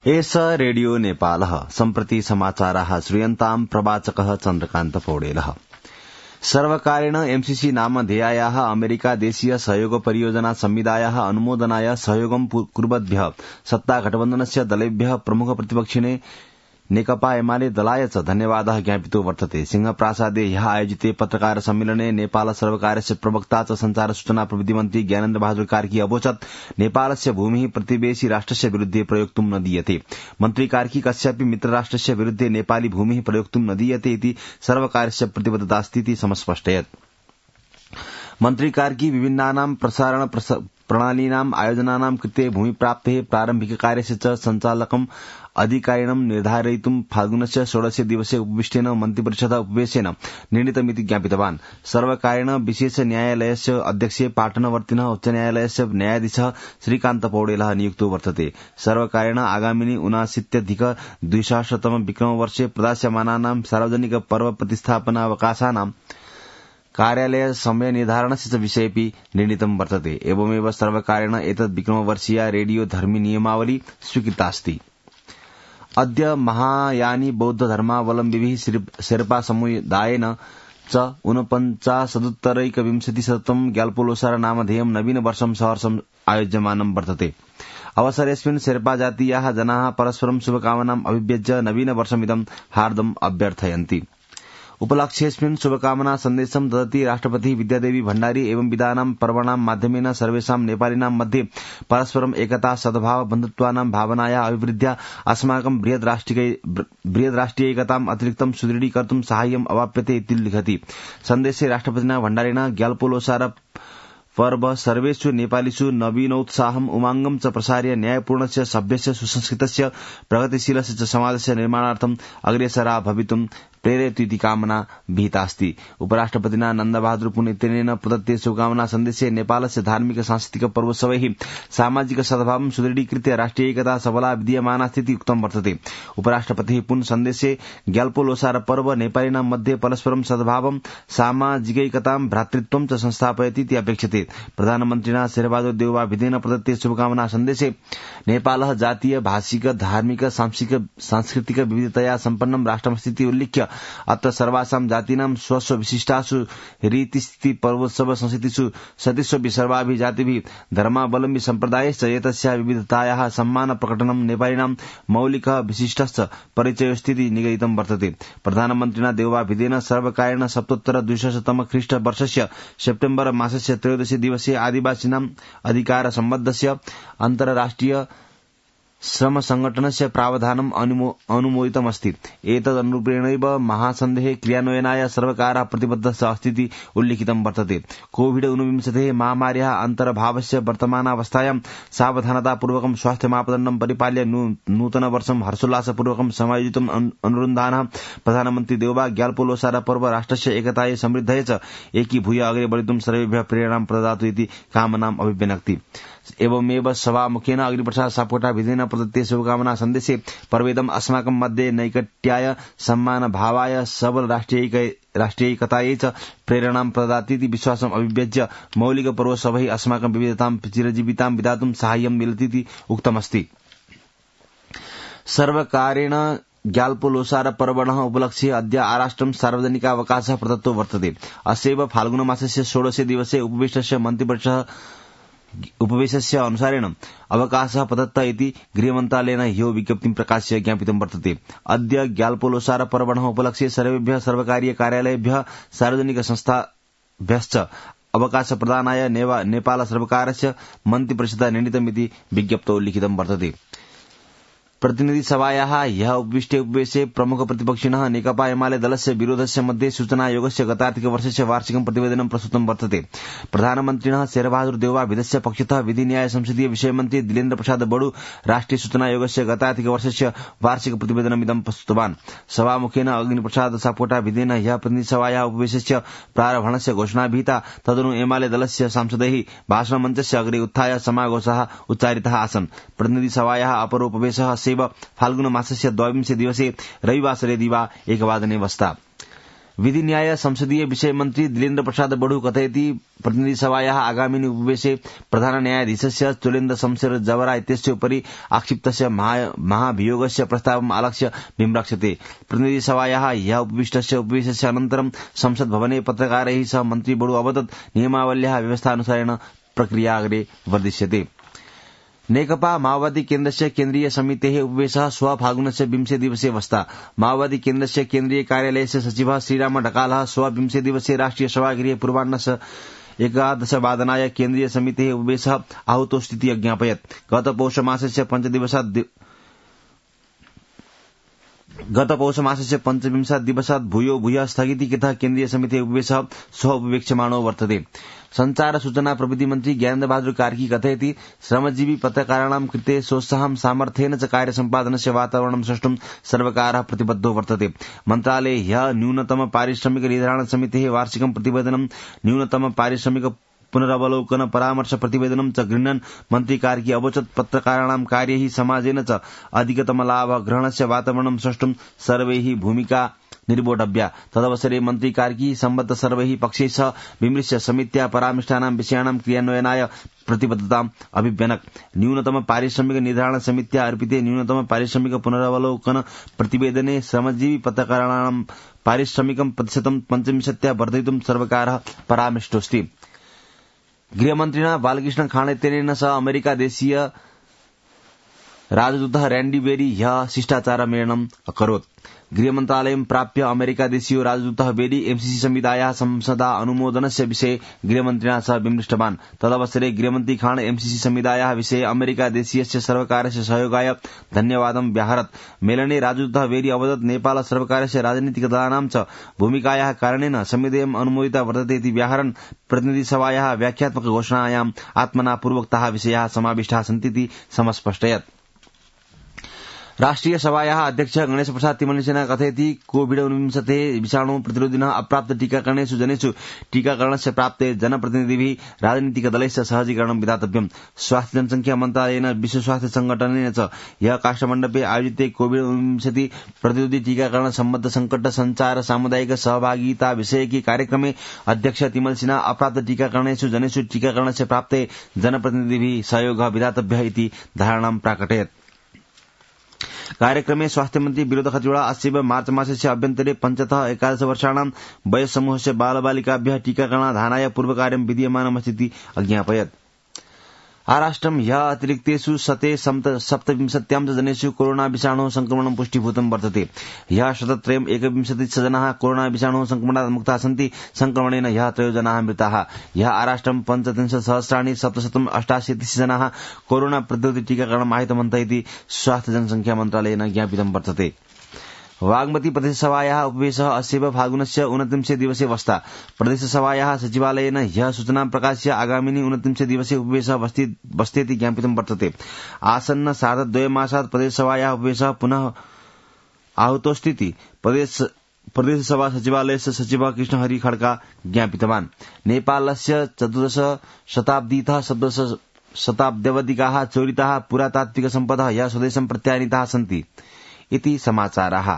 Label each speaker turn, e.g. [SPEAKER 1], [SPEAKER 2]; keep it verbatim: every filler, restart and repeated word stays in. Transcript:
[SPEAKER 1] एष रेडियो नेपालः सम्प्रति समाचाराः श्रूयन्ताम् प्रवाचकः चन्द्रकान्त पौडेलः। सर्वकारेण एमसीसी नामधेयायाः अमेरिका देशीय सहयोग परियोजना संविदायाः अनुमोदनाय सहयोगं कुर्वद्भ्यः सत्तागठबन्धनस्य दलेभ्यः प्रमुख प्रतिपक्षिणे नेकपा एमाले दलाय च धन्यवादः ज्ञापितो वर्तते। सिंहप्रासादे ह्यः आयोजिते पत्रकार सम्मेलने नेपाल सर्वकारस्य प्रवक्ता च संचार सूचना प्रविधि मन्त्री ज्ञानेन्द्र बहादुर कार्की अवोचत् नेपालस्य भूमिः प्रतिवेशी राष्ट्रस्य विरुद्धे प्रयोक्तुं न दीयते। मन्त्री कार्की कस्यापि मित्रराष्ट्रस्य विरुद्धे नेपाली भूमिः प्रयोक्तुं न दीयते इति सर्वकारस्य प्रतिबद्धतास्ति समस्पष्टयत्। मन्त्री कार्की विभिन्नानां प्रसारण प्रणालीनाम् आयोजनानां कृते भूमिप्राप्तेः प्रारम्भिककार्यस्य च सञ्चालकम् अधिकारिणं निर्धारयितुं फाल्गुनस्य षोडशे दिवसे उपविष्टेन मन्त्रिपरिषद उपवेशेन निर्णीतमिति ज्ञापितवान्। सर्वकारेण विशेष न्यायालयस्य अध्यक्षे पाटनवर्तिनः उच्च न्यायालयस्य न्यायाधीशः श्रीकान्त पौडेलः नियुक्तो वर्तते। सर्वकारेण आगामिनि ऊनाशीत्यधिक द्विसहस्रतम विक्रमवर्षे प्रदास्यमानानां सार्वजनिक पर्व प्रतिष्ठापनावकाशानां कार्यालय समय निर्धारणस्य च विषयेऽपि निर्णीतं वर्तते। एवमेव सर्वकारेण एतद् विक्रमवर्षीया रेडियो धर्मी नियमावली स्वीकृतास्ति। अद्य महायानी बौद्ध धर्मावलम्बिभिः शेर्पा समुदायेन च ऊनपञ्चाशदुत्तरैकविंशतिशतम् ग्याल्पोलोसार नामधेयं नवीन वर्षं सहर्षम् आयोज्यमानं वर्तते। अवसरेऽस्मिन् शेर्पा जातीयाः जनाः परस्परं शुभकामनाम् अभिव्यज्य नवीन वर्षमिदं हार्दम् अभ्यर्थयन्ति। उपलक्ष्येऽस्मिन् शुभकामना सन्देशं ददति राष्ट्रपति विद्यादेवी भण्डारी एवं विधानां पर्वणां माध्यमेन सर्वेषां नेपालिनां मध्ये परस्परं एकता सद्भाव बन्धुत्वानां भावनाया अभिवृद्ध्या अस्माकं बृहद् राष्ट्रियैकताम् अतिरिक्तं सुदृढीकर्तुं साहाय्यम् अवाप्यते इति लिखति। सन्देशे राष्ट्रपतिना भण्डारिणा ग्याल्पोलोसार पर्व सर्वेषु नेपालीषु नवीनोत्साहम् उमाङ्गं च प्रसार्य न्यायपूर्णस्य सभ्यस्य सुसंस्कृतस्य प्रगतिशीलस्य च समाजस्य निर्माणार्थम् अग्रेसरा भवितुं प्रेरयतु इति कामना विहितास्ति। उपराष्ट्रपतिना नन्दबहादुर पुण्यतिथिना प्रदत्ते शुभकामना सन्देशे नेपालस्य धार्मिक सांस्कृतिक पर्वोत्सवैः सामाजिक सद्भावं सुदृढीकृत्य राष्ट्रियैकता सबला विद्यमानास्ति उक्तं वर्तते। उपराष्ट्रपतिः पुनः सन्देशे ग्याल्पोलोसार पर्व नेपालिनां मध्ये परस्परं सद्भावं सामाजिकैकतां भ्रातृत्वं च संस्थापयति इति अपेक्षते। प्रधानमन्त्रिणा शेरबहादुर देउवा भिदेन प्रदत्ते शुभकामना सन्देशे नेपालः जातीय भाषिक धार्मिक सांस्कृतिक विविधतया सम्पन्नं राष्ट्रमस्तीति उल्लिख्य अत्र सर्वासां जातीनां स्वस्व विशिष्टासु रीतिस्थिति पर्वोत्सव संस्कृतिषु सतिष्वपि सर्वाभिः जातिभिः धर्मावलम्बी सम्प्रदायश्च एतस्याः विविधतायाः सम्मान प्रकटनं नेपालिनां मौलिकः विशिष्टश्च परिचयोस्तीति निगदितं वर्तते। प्रधानमन्त्रिणा देउवा भिदेन सर्वकारेण सप्तोत्तर द्विसहस्रतम ख्रीष्ट वर्षस्य सेप्टेम्बर मासस्य त्रयोदशे दिवसे आदिवासीनाम् अधिकार सम्बद्धस्य अन्तर्राष्ट्रिय श्रम संगठनस्य प्रावधानम् अनुमोदितमस्ति। एतदनुरूपेणैव महासन्धेः क्रियान्वयनाय सर्वकारः प्रतिबद्धः अस्ति इति उल्लिखितं वर्तते। कोविड ऊनविंशतेः महामार्याः अन्तर्भावस्य वर्तमानावस्थायां सावधानतापूर्वकं स्वास्थ्य मापदण्डं परिपाल्य नूतनवर्षं हर्षोल्लासपूर्वकं समायोजितुम् अनुरुन्धानः प्रधानमन्त्री देउवा ग्याल्पोलोसार पर्व राष्ट्रस्य एकतायै समृद्धये च एकीभूय अग्रे बढ़ितुं सर्वेभ्यः प्रेरणां प्रददातु इति कामनाम् अभिव्यनक्ति। एवमेव सभामुखेन अग्निप्रसाद सापकोटा विधिना प्रदत्ते शुभकामना सन्देशे पर्वेदम् अस्माकं मध्ये नैकट्याय सम्मान भावाय सबल राष्ट्रियैकतायै च प्रेरणां प्रददाति इति विश्वासम् अभिव्यज्य मौलिक पर्वोत्सवैः अस्माकं विविधतां चिरजीवितां विधातुं साहाय्यं मिलति इति उक्तमस्ति। सर्वकारेण ग्याल्पोलोसार पर्वणः उपलक्ष्ये अद्य आराष्ट्रं सार्वजनिकावकाशः प्रदत्तो वर्तते। अस्यैव फाल्गुनमासस्य षोडशे दिवसे उपविष्टस्य मन्त्रिपरिषदः उपवेशस्य अनुसारेण अवकाशः प्रदत्त इति गृहमन्त्रालयेन ह्यो विज्ञप्तिं प्रकाश्य ज्ञापितं वर्तते। अद्य ग्याल्पोलोसार पर्वणः उपलक्ष्ये सर्वेभ्यः सर्वकारीय कार्यालयेभ्यः सार्वजनिक संस्थाभ्यश्च अवकाश प्रदानाय नेपाल सर्वकारस्य मन्त्रिपरिषदा निर्णीतमिति विज्ञप्तौ लिखितं वर्तते। प्रतिनिधि सभायाः ह्यः उपविष्टे उपवेशे प्रमुख प्रतिपक्षिणः नेकपा एमाले दलस्य विरोधस्य मध्ये सूचना आयोगस्य गतार्थिक वर्षस्य वार्षिकं प्रतिवेदनं प्रस्तुतं वर्तते। प्रधानमन्त्रिणः शेरबहादुर देउवा विधस्य पक्षतः विधि न्याय संसदीय विषयमन्त्री दिलेन्द्र प्रसाद बडु राष्ट्रिय सूचना आयोगस्य गतार्थिक वर्षस्य वार्षिक प्रतिवेदनमिदं प्रस्तुतवान्। सभामुखेन अग्निप्रसाद सापकोटा विधेन ह्यः प्रतिनिधि सभायाः उपवेशस्य प्रारम्भणस्य घोषणा विहिता। तदनु एमाले दलस्य सांसदैः भाषणमञ्चस्य अग्रे उत्थाय समाघोषाः उच्चारिताः आसन्। प्रतिनिधि सभायाः अपरोपवेशः फाल्गुन मासस्य द्वाविंशे दिवसे रविवासरे दिवा एकवादने वस्ता। विधि न्याय संसदीय विषय मन्त्री दिलेन्द्र प्रसाद बडु कथयति प्रतिनिधिसभायाः आगामिनि उपवेशे प्रधान न्यायाधीशस्य तुलेन्द्र शमशेर जवरा इत्यस्य उपरि आक्षिप्तस्य महाभियोगस्य प्रस्तावम् आलक्ष्य विमृक्षते। प्रतिनिधिसभायाः ह्यः उपविष्टस्य उपवेशस्य अनन्तरं संसद भवने पत्रकारैः सह मन्त्री बडु अवदत् नियमावल्याः व्यवस्थानुसारेण प्रक्रिया अग्रे वर्धिष्यते। नेकपा माओवादी केन्द्रस्य केन्द्रीय समितेः उपवेशः श्वः फागुनस्य विंशे दिवसे वस्ता। माओवादी केन्द्रस्य केन्द्रीय कार्यालयस्य सचिवः श्रीराम ढकालः श्वः विंशे दिवसे राष्ट्रिय सभागृहे पूर्वाह्नस्य एकादशवादनाय केन्द्रीय समितेः उपवेशः आहूतोऽस्तीति अज्ञापयत्। गत पौषमासस्य पञ्चदिवसात् गत पौषमासस्य पञ्चविंशात् दिवसात् भूयो भूयः स्थगितीकृतः केन्द्रीय समितेः उपवेशः श्वः उपवेक्ष्यमाणो वर्तते। संचार सूचना प्रविधि मन्त्री ज्ञानेन्द्र बहादुर कार्की कथयति श्रमजीवी पत्रकाराणां कृते सोत्साहं सामर्थ्येन च कार्य सम्पादनस्य वातावरणं सृष्टुं सर्वकारः प्रतिबद्धो वर्तते। मन्त्रालये ह्यः न्यूनतम पारिश्रमिक निर्धारण समितेः वार्षिकं प्रतिवेदनं न्यूनतम पारिश्रमिक पुनरवलोकन परामर्श प्रतिवेदनं च गृह्णन् मन्त्री कार्की अवोचत् पत्रकाराणां कार्यैः समाजेन च अधिकतम लाभ ग्रहणस्य वातावरणं सृष्टुं सर्वैः भूमिका निर्वोढव्या। तदवसरे मन्त्री कार्की सम्बद्ध सर्वैः पक्षैः सह विमृश्य समित्या परामृष्टानां विषयाणां क्रियान्वयनाय प्रतिबद्धताम् अभिव्यनक्। न्यूनतम पारिश्रमिक निर्धारण समित्या अर्पिते न्यूनतम पारिश्रमिक पुनरवलोकन प्रतिवेदने श्रमजीवी पत्रकाराणां पारिश्रमिकं प्रतिशतं पञ्चविंशत्या वर्धयितुं सर्वकारः परामृष्टोऽस्ति। गृहमन्त्रिणा बालकृष्ण खाँडेतेन सह अमेरिका देशीय राजदूतः रैंडी बेरी ह्यः शिष्टाचारमेलनम् अकरोत्। गृहमन्त्रालयं प्राप्य अमेरिका देशीयो राजदूतः बेरी एमसीसी संहितायाः संसदा अनुमोदनस्य विषये गृहमन्त्रिणा सह विमृष्टवान्। तदवसरे गृहमन्त्री खाँड एमसीसी संहितायाः विषये अमेरिका देशीयस्य सर्वकारस्य सहयोगाय धन्यवादं व्याहरत्। मेलने राजदूतः बेरी अवदत् नेपाल सर्वकारस्य राजनीतिकदलानां च भूमिकायाः कारणेन संविधेयम् अनुमोदिता वर्तते इति व्याहरन् प्रतिनिधिसभायाः व्याख्यात्मक घोषणायाम् आत्मना पूर्वोक्ताः विषयाः समाविष्टाः सन्तीति समस्पष्टयत्। राष्ट्रिय सभायाः अध्यक्षः गणेश प्रसाद तिमल्सिना कथयति कोविड ऊनविंशति विषाणु प्रतिरोधिनः अप्राप्त टीकाकरणेषु जनेषु टीकाकरणस्य प्राप्ते जनप्रतिनिधिभिः राजनीतिकदलैश्च सहजीकरणं विधातव्यम्। स्वास्थ्य जनसंख्या मन्त्रालयेन विश्व स्वास्थ्य संगठनेन च ह्यः काष्ठमण्डपे आयोजिते कोविड ऊनविंशति प्रतिरोधि टीकाकरण सम्बद्ध संकट संचार सामुदायिक सहभागिता विषयके कार्यक्रमे अध्यक्ष तिमल्सिना अप्राप्त टीकाकरणेषु जनेषु टीकाकरणस्य प्राप्ते जनप्रतिनिधिभिः सहयोगः विधातव्यः इति धारणां प्राकटयत्। कार्यक्रमे स्वास्थ्यमन्त्री विनोद खतिवड़ा अस्यैव मार्च मासस्य अभ्यन्तरे पञ्चतः एकादश वर्षाणां वयस्समूहस्य बालबालिकाभ्यः टीकाकरणाधानाय पूर्वकार्यं विधीयमानमस्तीति अज्ञापयत्। आराष्ट्रं ह्यः अतिरिक्तेषु शते सप्तविंशत्यां च जनेषु कोरोना विषाणोः संक्रमणं पुष्टीभूतं वर्तते। ह्यः शतत्रयम् एकविंशतिश्च जनाः कोरोना विषाणोः संक्रमणात् मुक्ताः सन्ति। संक्रमणेन ह्यः त्रयो जनाः मृताः। ह्यः आराष्ट्रं पञ्चत्रिंशत् सहस्राणि सप्तशतम् अष्टाशीतिः जनाः कोरोना प्रतिरोधि टीकाकरणम् आहितवन्तः इति स्वास्थ्य जनसंख्या मन्त्रालयेन ज्ञापितं वर्तते। वाग्मती प्रदेशसभायाः उपवेशः अस्यैव फागुनस्य ऊनत्रिंशे दिवसे वस्ता। प्रदेशसभायाः सचिवालयेन ह्यः सूचनां प्रकाश्य आगामिनि ऊनत्रिंशे दिवसे उपवेशः बस्तेति ज्ञापितं वर्तते। आसन्न सार्धद्वयमासात् प्रदेशसभायाः उपवेशः पुनः आहूतोऽस्तीति प्रदेश प्रदेशसभा सचिवालयस्य सचिवः कृष्णहरि खड्का ज्ञापितवान्। नेपालस्य चतुर्दश शताब्दीतः सप्तदश शताब्द्यवधिकाः चोरिताः पुरातात्विक सम्पदः ह्यः स्वदेशं प्रत्यानीताः सन्ति इति समाचाराः।